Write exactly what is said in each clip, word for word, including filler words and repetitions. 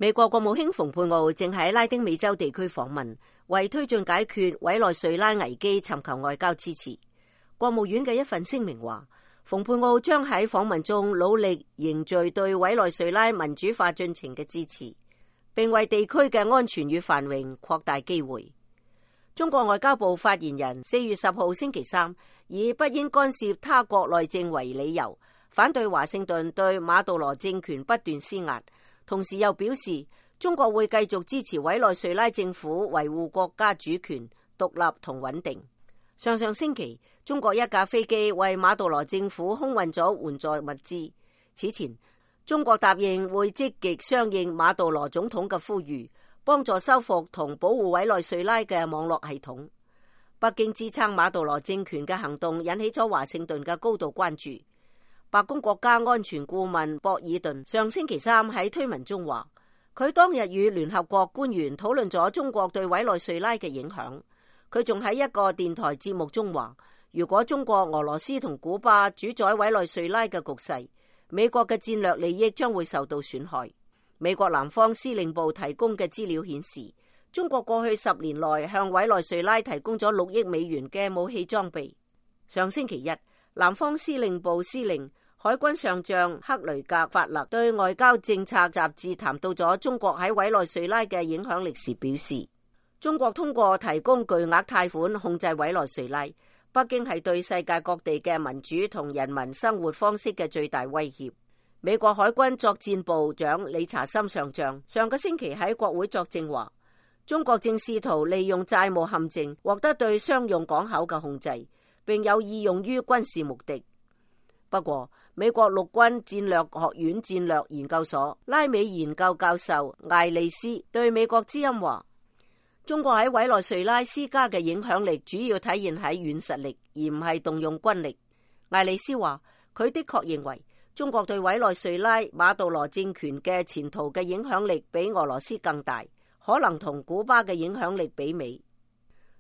美國國務卿蓬佩奧正喺拉丁美洲地區訪問，為推進解決委內瑞拉危機尋求外交支持。國務院嘅一份聲明話，蓬佩奧將喺訪問中努力凝聚對委內瑞拉民主化進程嘅支持，並為地區嘅安全與繁榮擴大機會。中國外交部發言人四月十號星期三以不應干涉他國內政為理由，反對華盛頓對馬杜羅政權不斷施壓，同時又表示中國會繼續支持委內瑞拉政府維護國家主權、獨立同穩定。上上星期，中國一架飛機為馬杜羅政府空運咗援助物資。此前，中國答應會積極響應馬杜羅總統嘅呼籲，幫助修復同保護委內瑞拉嘅網絡系統。北京支撐馬杜羅政權嘅行動引起咗華盛頓嘅高度關注。白宮國家安全顧問博爾頓上星期三喺推文中話，佢當日與聯合國官員討論咗中國對委內瑞拉嘅影響。佢仲喺一個電台節目中話，如果中國、俄羅斯同古巴主宰委內瑞拉嘅局勢，美國嘅戰略利益將會受到損害。美國南方司令部提供嘅資料顯示，中國過去十年內向委內瑞拉提供咗六億美元嘅武器裝備。上星期一，南方司令部司令海軍上將克雷格法勒對外交政策雜誌談到咗中國喺委內瑞拉嘅影響力時表示，中國通過提供巨額貸款控制委內瑞拉，北京係對世界各地嘅民主同人民生活方式嘅最大威脅。美國海軍作戰部長理查森上將上個星期喺國會作證話，中國正試圖利用債務陷阱獲得對商用港口嘅控制，並有意用於軍事目的。不過，美國陸軍戰略學院戰略研究所拉美研究教授艾利斯對美國之音話，中國喺委內瑞拉施加嘅影響力主要體現喺軟實力，而唔係動用軍力。艾利斯話，佢的確認為中國對委內瑞拉馬杜羅政權嘅前途嘅影響力比俄羅斯更大，可能同古巴嘅影響力媲美。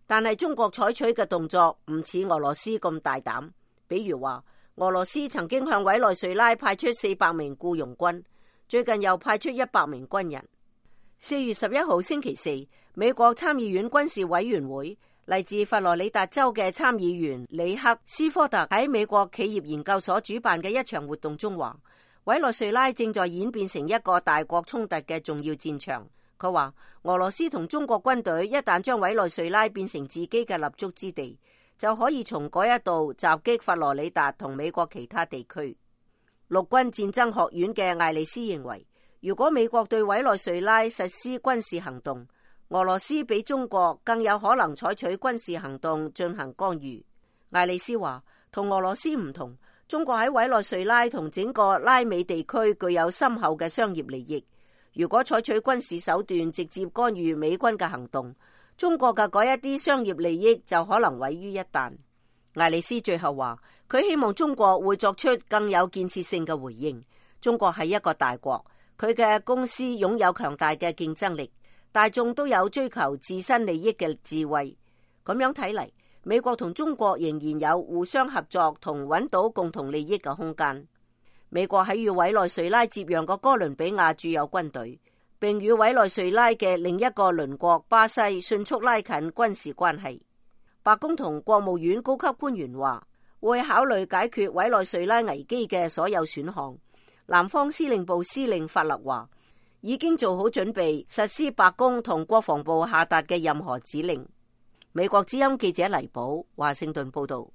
但係中國採取嘅動作唔似俄羅斯咁大膽，比如話俄羅斯曾經向委內瑞拉派出四百名僱傭軍，最近又派出一百名軍人。四月十一號星期四，美國參議院軍事委員會嚟自佛羅里達州嘅參議員里克斯科特喺美國企業研究所主辦嘅一場活動中話，委內瑞拉正在演變成一個大國衝突嘅重要戰場。佢話俄羅斯同中國軍隊一旦將委內瑞拉變成自己嘅立足之地，就可以從嗰一度襲擊佛羅里達同美國其他地區。陸軍戰爭學院嘅艾利斯認為，如果美國對委內瑞拉實施軍事行動，俄羅斯比中國更有可能採取軍事行動進行干預。艾利斯話，同俄羅斯唔同，中國喺委內瑞拉同整個拉美地區具有深厚嘅商業利益。如果採取軍事手段直接干預美軍嘅行動，中國嘅嗰一啲商業利益就可能毀於一旦。艾利斯最後話，佢希望中國會作出更有建設性嘅回應。中國係一個大國，佢嘅公司擁有強大嘅競爭力，大眾都有追求自身利益嘅智慧。咁樣睇嚟，美國同中國仍然有互相合作同揾到共同利益嘅空間。美國喺與委內瑞拉接壤嘅哥倫比亞駐有軍隊，並與委內瑞拉嘅另一個鄰國巴西迅速拉近軍事關係。白宮同國務院高級官員話，會考慮解決委內瑞拉危機嘅所有選項。南方司令部司令法勒話，已經做好準備實施白宮同國防部下達嘅任何指令。美國之音記者黎寶華盛頓報道。